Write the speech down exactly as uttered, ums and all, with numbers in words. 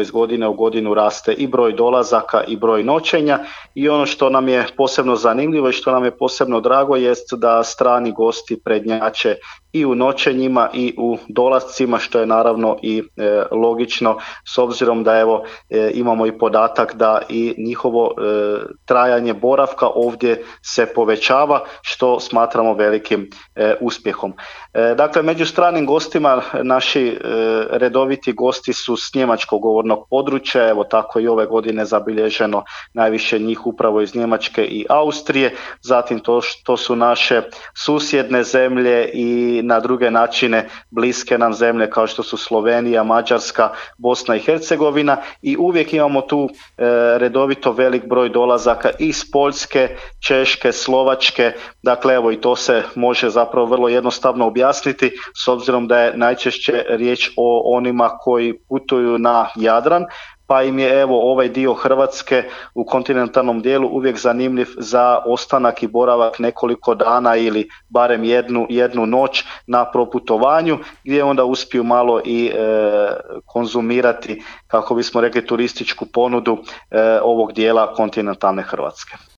iz godine u godinu raste i broj dolazaka i broj noćenja i ono što nam je posebno zanimljivo i što nam je posebno drago jest da strani gosti prednjače i u noćenjima i u dolascima, što je naravno i e, logično s obzirom da evo e, imamo i podatak da i njihovo e, trajanje boravka ovdje se povećava, što smatramo velikim e, uspjehom. E, dakle, među stranim gostima naši e, redoviti gosti su s njemačkog govornog područja, evo tako i ove godine zabilježeno najviše njih upravo iz Njemačke i Austrije, zatim to što su naše susjedne zemlje i na druge načine bliske nam zemlje kao što su Slovenija, Mađarska, Bosna i Hercegovina i uvijek imamo tu e, redovito velik broj dolazaka iz Poljske, Češke, Slovačke, dakle evo i to se može zapravo vrlo jednostavno objasniti s obzirom da je najčešće riječ o onima koji putuju na Jadran, pa im je evo ovaj dio Hrvatske u kontinentalnom dijelu uvijek zanimljiv za ostanak i boravak nekoliko dana ili barem jednu, jednu noć na proputovanju gdje onda uspiju malo i e, konzumirati, kako bismo rekli, turističku ponudu e, ovog dijela kontinentalne Hrvatske.